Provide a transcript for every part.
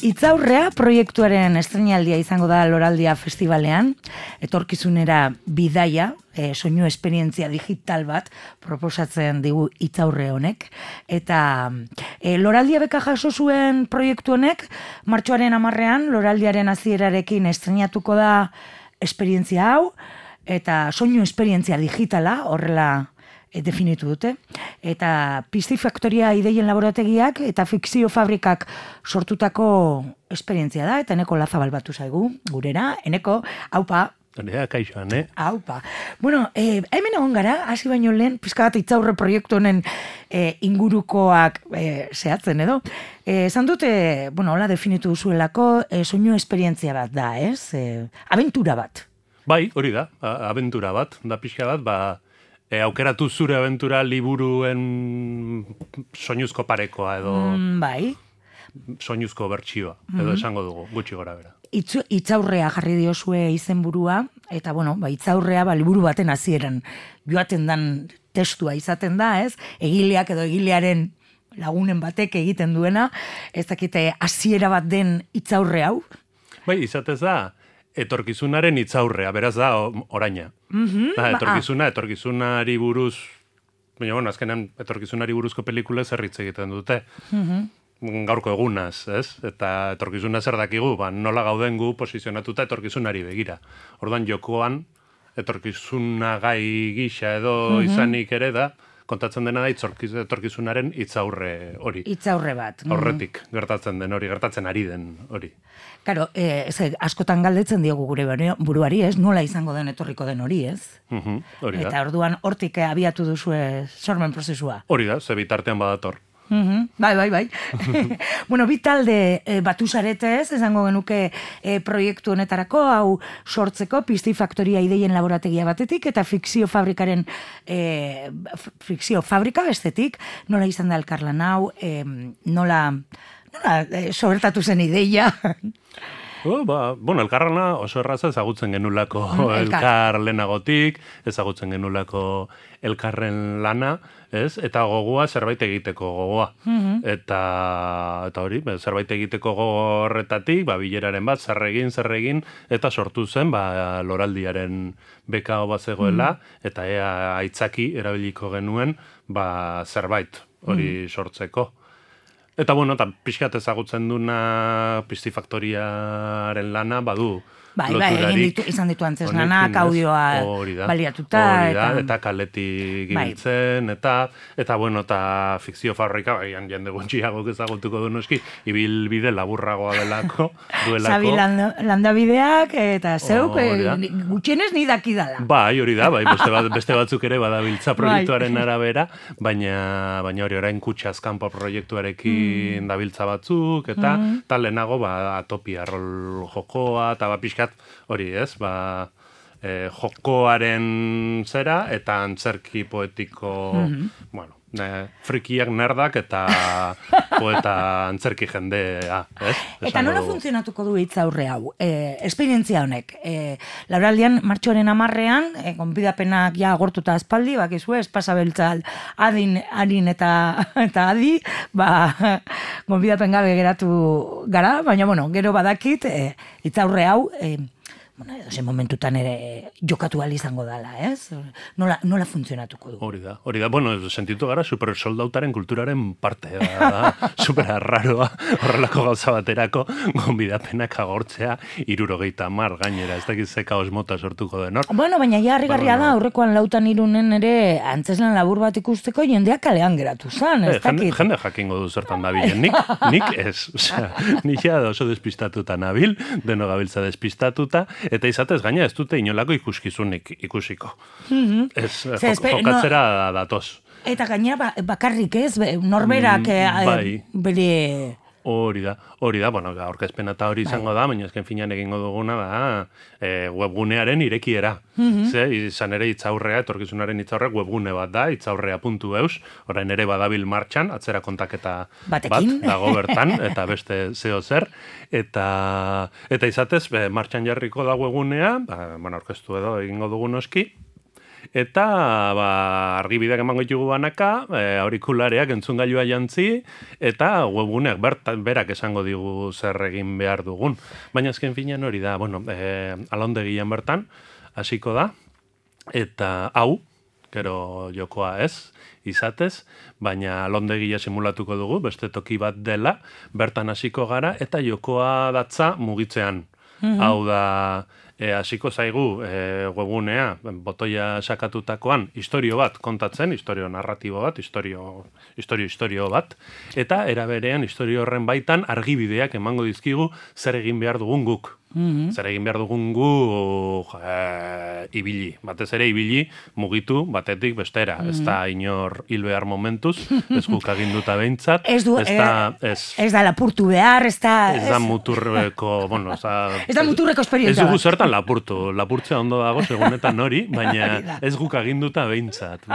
Itzaurrea proiektuaren estreinaldia izango da Loraldia Festivalean, etorkizunera bidaia, soinu esperientzia digital bat proposatzen digu Itzaurre honek, eta Loraldia beka jaso zuen proiektu honek, martxoaren 10ean Loraldiaren hasierarekin estreinatuko da esperientzia hau, eta soinu esperientzia digitala, horrela definitu dute, eta Pistifaktoria ideien laborategiak eta fikzio fabrikak sortutako esperientzia da, eta Eneko Lazabal batu zaigu, gurera, Eneko, haupa. Ea, kaixoan, Haupa. Bueno, hemen egon gara, hasi baino lehen, pizka bat Itzaurre proiektu honen ingurukoak zehatzen edo. Esan dute, bueno, hola definitu duzuelako, soinu esperientzia bat da, ez? Abentura bat. Bai, hori da, abentura bat, da pixka bat, aukeratu zure abentura liburuen soinuzko parekoa edo bai. soinuzko bertsioa, edo esango dugu, gutxi gora bera. Itzaurrea jarri diozue izenburua, eta bueno, Itzaurrea liburu baten hasieran joaten dan testua izaten da, ez? Egileak edo egilearen lagunen batek egiten duena, ez dakite hasiera bat den Itzaurre hau. Bai, izatez da, etorkizunaren itzaurrea, beraz da oraina. Etorkizunari buruz, baina bueno, azkenean etorkizunari buruzko pelikula zerritz egiten dute. Gaurko egunaz, ez? Eta etorkizuna zer dakigu, nola gauden gu posizionatuta etorkizunari begira. Orduan jokoan, etorkizuna gai gisa edo izanik ere da, kontatzen dena da etorkizunaren itzaurre hori. Itzaurre bat. Aurretik gertatzen den hori, gertatzen ari den hori. Karo, askotan galdetzen diogu gure buruari, ez? Nola izango den etorriko den hori, ez? Hori da. Eta orduan hortik abiatu duzue sormen prozesua. Hori da, ze bitartean badator. Bai. Bueno, bi talde batu zarete, ez? Esango genuke proiektu honetarako, hau sortzeko, Pistifaktoria ideien laborategia batetik, eta fikzio fabrikaren fikzio fabrika bestetik, nola izan da elkarlan hau, nola sobertatu zen ideia. Bueno, elkarrana oso erraza ezagutzen genulako elkar lehenagotik, ezagutzen genulako elkarren lana, ez? Eta gogoa zerbait egiteko gogoa. Eta hori, zerbait egiteko horretatik, bileraren bat, zer egin, eta sortu zen, Loraldiaren beka bat zegoela, eta ea aitzaki erabiliko genuen, zerbait hori sortzeko. Eta bueno, pixkat ezagutzen duna Pistifaktoriaren lana, badu loturarik. Izan ditu antzes lanak, audioa baliatuta. Eta kaletik ibiltzen, eta bueno, eta fikzio fabrika, jende gutxiagok ezagutuko du noski, ibilbide laburragoa delako, duelako. Sabi landabideak, eta zeuk, gutxienez ni dakidala. Hori da, beste batzuk ere badabiltza proiektuaren arabera, baina hori orain kutxazkanpo proiektuarekin dabiltza batzuk, eta lehenago atopia rol jokoa, eta pixkat hori ez, jokoaren zera, eta antzerki poetiko, bueno, frikiak nerdak eta poeta antzerki jendea, ez? Eta nola funtzionatuko du Itzaurre hau? Esperientzia honek. Loraldian martxoaren 10ean, gonbidapenak ja agortuta aspaldi, bakizu, espasabeltza adin eta adi, gonbidapen gabe geratu gara, baina, bueno, gero badakit, Itzaurre hau, zen momentutan ere jokatu ahal izango dela, ez? Nola funtzionatuko du? Hori da. Bueno, sentitu gara supersoldautaren kulturaren parte, super arraroa, horrelako gauza baterako, gonbidapenak agortzea, 70 gainera, ez dakiz ze kaos mota sortuko den hor. Bueno, baina ja harrigarria da, aurrekoan 4-3 ere antzeslan labur bat ikusteko jendeak kalean geratu zen, ez dakit. Jende jakingo du zertan dabilen, nik ez, nik ja oso despistatuta nabil, deno gabiltza despistatuta, eta izatez gaina ez dute inolako ikuskizunik ikusiko. Jokatzera datoz. Eta gainera bakarrik ez, norberak bere... Hori da, bueno, aurkezpena eta hori izango da, baina ezken finan egingo duguna da webgunearen irekiera. Izan ere Itzaurrea, etorkizunaren Itzaurrea webgune bat da, itzaurrea.eus, orain ere badabil martxan, atzera kontaketa bat dago bertan, eta beste zeo zer, eta izatez, martxan jarriko da webgunea, aurkeztu edo egingo dugu noski, eta argibideak emango ditugu banaka, aurikulareak entzungailua jantzi, eta webguneak berak esango digu zer egin behar dugun. Baina azken finean hori da, alondegian bertan, hasiko da, eta hau, gero jokoa ez, izatez, baina alondegia simulatuko dugu, beste toki bat dela, bertan hasiko gara, eta jokoa datza mugitzean. Hau da, hasiko zaigu webgunea, botoia sakatutakoan, historio bat kontatzen, historio narratibo bat, historio bat, eta eraberean historio horren baitan argibideak emango dizkigu zer egin behar dugun guk. Zer egin behar dugun gu ibili. Batez ere ibili mugitu batetik bestera. Ez da inor hil behar momentuz, ez guk aginduta behintzat. Ez da lapurtu behar, ez da muturreko, ez da muturreko esperientzia. Ez dugu zertan lapurtu. Lapurtzea ondo dago segunetan hori, baina ez guk aginduta behintzat.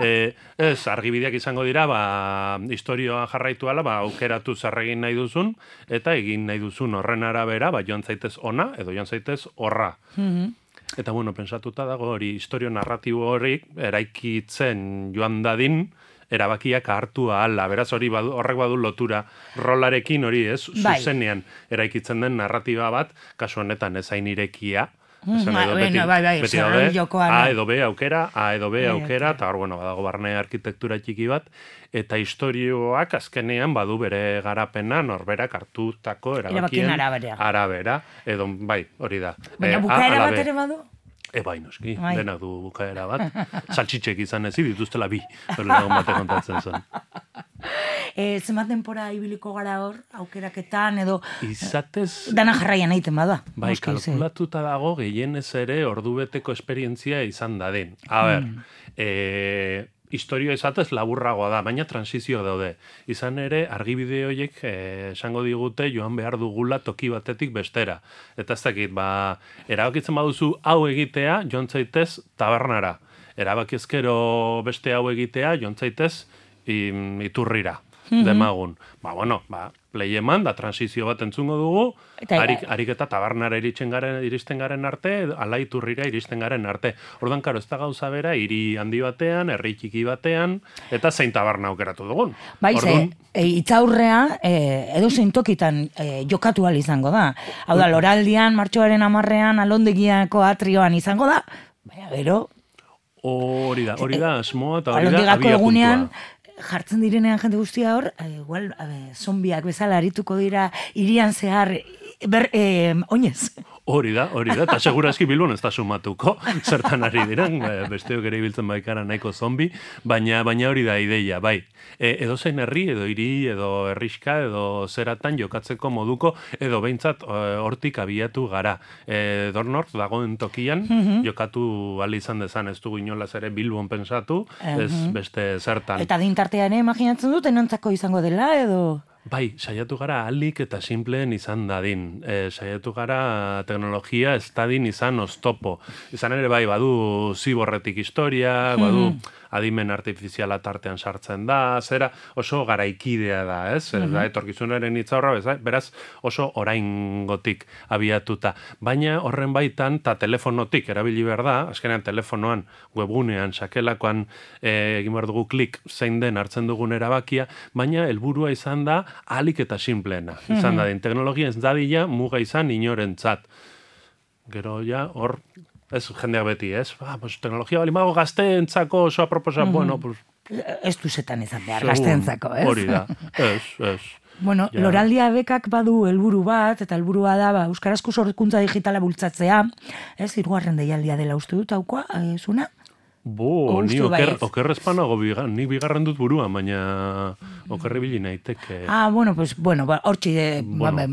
Ez, argibideak izango dira, historioa jarraitu ala, aukeratu zer egin nahi duzun, eta egin nahi duzun horren arabera, joan zaitez ona, edo joan zaitez horra. Eta pensatuta dago hori, historio narratibo hori eraikitzen joan dadin, erabakiak hartu ahala. Beraz horrek badu lotura rolarekin hori, ez? Zuzenean eraikitzen den narratiba bat, kasu honetan ezain irekia. Beti daude, A edo B aukera, eta hor, badago barne arkitektura txiki bat, eta historioak azkenean badu bere garapena norberak hartutako erabakien arabera, edo hori da. Baina bukaera bat ere badu? Bai, noski, denak du bukaera bat. Saltxitxek izan ezi, dituztela bi, hori lagun bate kontatzen zen. Zenbat denpora ibiliko gara hor, aukeraketan, edo... Izatez... Dana jarraian egiten bada. Bai, kalkulatuta dago gehienez ere ordubeteko esperientzia izan dadin. A ber, historio izatez laburragoa da, baina transizio daude. Izan ere, argibide horiek esango digute joan behar dugula toki batetik bestera. Eta ez dakit, erabakitzen baduzu hau egitea, joan zaitez tabernara. Erabakiezkero beste hau egitea, joan zaitez iturrira, demagun. Play eman, da transizio bat entzungo dugu, harik eta tabernara iristen garen arte, ala iturrira iristen garen arte. Ordan, karo, ez da gauza bera, hiri handi batean, herri txiki batean, eta zein taberna aukeratu dugun. Itzaurrea, edo zein tokitan jokatu ahal izango da. Hau da, Loraldian, martxoaren 10ean, alondegiako atrioan izango da, baina gero... Hori da, asmoa eta hori da alondigako egunean, jartzen direnean jende guztia hor, igual, zombiak bezala arituko dira hirian zehar, oinez. Hori da, eta segurazki Bilbon ez da sumatuko, zertan ari diren, besteok ere ibiltzen baikara nahiko zombi, baina hori da ideia, bai. Edo zein herri, edo hiri, edo herriska, edo zeratan jokatzeko moduko, edo behintzat hortik abiatu gara. Dornort dagoen tokian, jokatu ahal izan dezan, ez dugu inolaz ere Bilbon pensatu, ez beste zertan. Eta dintartean imaginatzen dut, enontzako izango dela, edo... Bai, saiatu gara ahalik eta simpleen izan dadin. Saiatu gara teknologia ez dadin izan oztopo. Izan ere bai, badu ziborretik historia, badu adimen artifiziala tartean sartzen da, zera oso garaikidea da, ez? Etorkizunaren itzaurra, beraz oso oraingotik abiatuta. Baina horren baitan, eta telefonotik erabili behar da, azkenean telefonoan, webgunean, sakelakoan egin behar dugu klik zein den hartzen dugun erabakia, baina helburua izan da ahalik eta simpleena. Izan dadin, teknologia ez dadila muga izan inorentzat. Gero ja, hor... Ez jendeak beti, ez? Teknologia balimago gazteentzako oso aproposa, Ez duzetan izan behar gazteentzako, ez? Hori da, ez. Loraldia bekak badu helburu bat, eta helburua da, euskarazko sorkuntza digitala bultzatzea, ez? 3. deialdia dela uste dut, haukoa, zuna? Ni okerrezpanago, nik bigarren dut buruan, baina okerre bili naiteke. Hortxe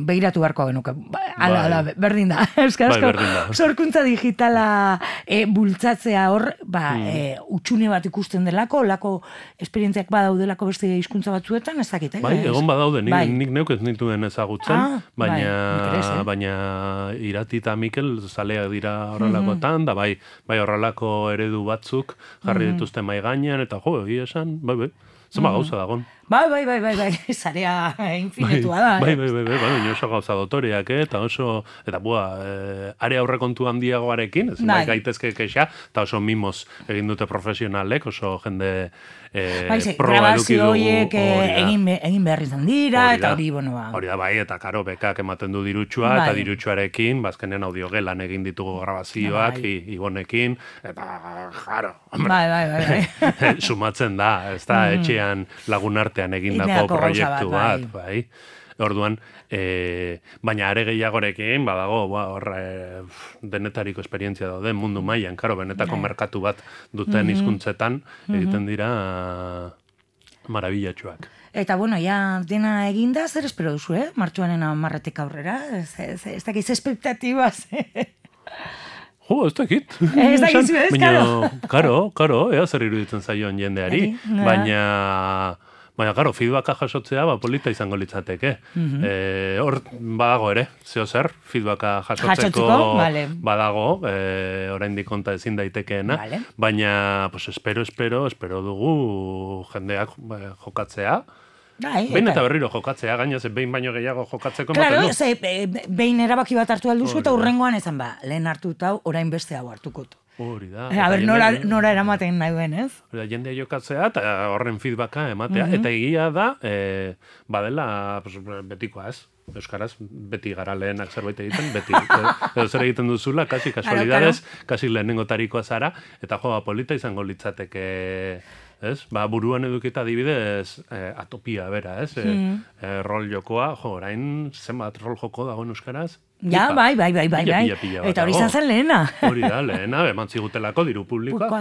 begiratu beharko genuke. Ala, berdin da. Euskarazko sorkuntza digitala bultzatzea hor, utxune bat ikusten delako, lako esperientziak badaudelako beste hizkuntza batzuetan, ez dakit. Bai, egon badaude, nik neuk ez nituen ezagutzen, baina Irati eta Mikel zaleak dira horrelakotan, da bai horrelako eredu batzuk jarri dituzte mai gainean, eta egia esan, bai, Zema gauza dagon. Bai, zarea infinitua da. Bai, oso gauza dotoreak, eta oso, eta are aurrekontu handiagoarekin, ez gaitezke kexa, eta oso mimos egin dute profesionalek, oso jende proba eduki dugu. Grabazioiek egin behar izan dira, eta hori, Hori da, bai, eta karo, bekak ematen du dirutxua, eta dirutxuarekin, bazkenean audiogelan egin ditugu grabazioak, Ibonekin, eta jaro, Bai. Sumatzen da, ez da, etxean lagun artean egindako proiektu bat, bai. Orduan, baina are gehiagorekin, badago, denetariko esperientzia daude mundu mailan, karo, benetako merkatu bat duten hizkuntzetan egiten dira marabillatxoak. Eta, ja, dena eginda, zer espero duzu, Martxoaren 10 aurrera? Ez dakiz espektatibaz, ez dakit. Ez dakizu, ez, karo, ea zer iruditzen zaioan jendeari, baina, karo, feedbacka jasotzea, polita izango litzateke. Hor, badago ere, zeo zer, feedbacka jasotzeko badago, oraindik konta ezin daitekeena, baina, espero dugu jendeak jokatzea, behin eta berriro jokatzea, gainaz, behin baino gehiago jokatzeko ematen du. Claro, behin erabaki bat hartu alduzu eta hurrengoan ezan lehen hartuta hau, orain beste hau hartukot. Hori da. A ber, nora eramaten nahi duen, ez? Hori da, jendea jokatzea eta horren feedbacka ematea. Eta egia da, badela, betikoa ez. Euskaraz, beti gara lehenak zerbait egiten, beti. Edo zer egiten duzula, kasi kasualidades, kasi lehenengo tarikoa zara, eta polita izango litzateke, ez? Buruan edukita adibidez atopia bera, ez? Rol jokoa, orain zenbat rol joko dagoen euskaraz? Ja, bai. Eta hori izan zen lehena. Hori da, lehena, eman zigutelako diru publikoa.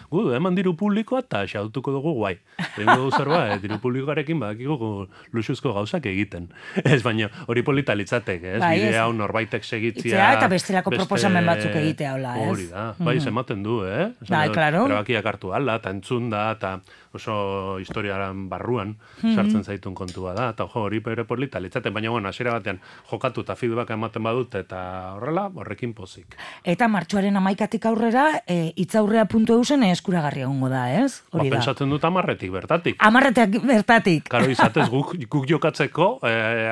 Gu, eman diru publikoa eta xautuko dugu guai. Egingo dugu zerba, diru publikoarekin badakigu luxuzko gauzak egiten. Ez, baina hori polita litzatek, ez? Bide hau norbaitek segitzia. Eta bestelako proposamen batzuk egitea, hola, ez? Hori da, bai, ematen du, Bai, klaro. Erabakiak hartu ala, eta entzun da, eta oso historiaran barruan sartzen zaitun kontua da, eta hori polita litzaten, baina hasiera batean jokatu eta feedback ematen badut, eta horrela, horrekin pozik. Eta martxoaren 11 aurrera, itzaurrea.eu zen eskuragarri egongo da, ez? Hori da. Pensatzen dut 10 bertatik. 10 bertatik. Karo, izatez guk jokatzeko,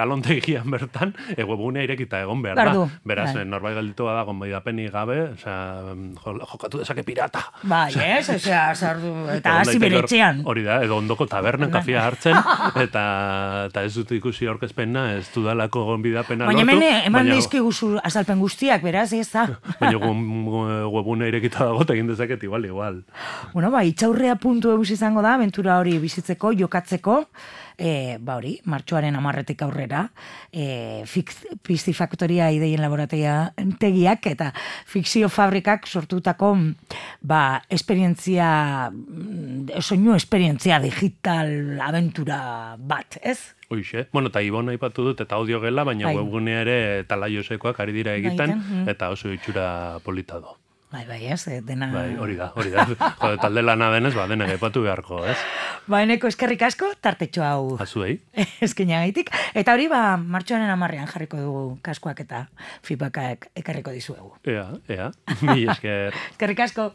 alontegian bertan, webgunea irekita egon behar da. Beraz, norbait galditu da, gonbaidapenik gabe, jokatu dezake pirata. Bai, ez? Eta hasi bere etxean. Hori da, edo ondoko tabernan kafia hartzen, eta ez dut ikusi aurkezpena, ez dudalako gonbidapena lortu. Baina eman dizkiguzu azalpen guztiak, beraz, ez da. Baina webuna irekita dago, egin dezaket igual. Itzaurrea.eu izango da, aventura hori bizitzeko, jokatzeko, hori, martxoaren 10 aurrera, Piztifaktoria ideien laborategiak eta fikzio fabrikak sortutako soinu esperientzia digital aventura bat, ez? Hoixe. Eta Ibon aipatu dut eta audio gela, baina webgunea ere talaiosekoak ari dira egiten, eta oso itxura polita do. Bai, ez, dena... Bai, hori da. Jode, talde lana denez, dena gaipatu beharko, ez? Eneko eskerrik asko, tartetxo hau. Azuei. Eskenagaitik. Eta hori, martxoaren 10 jarriko dugu kaskoak eta feedbackak ekarriko dizuegu. Ea. Mi esker. Eskerrik asko.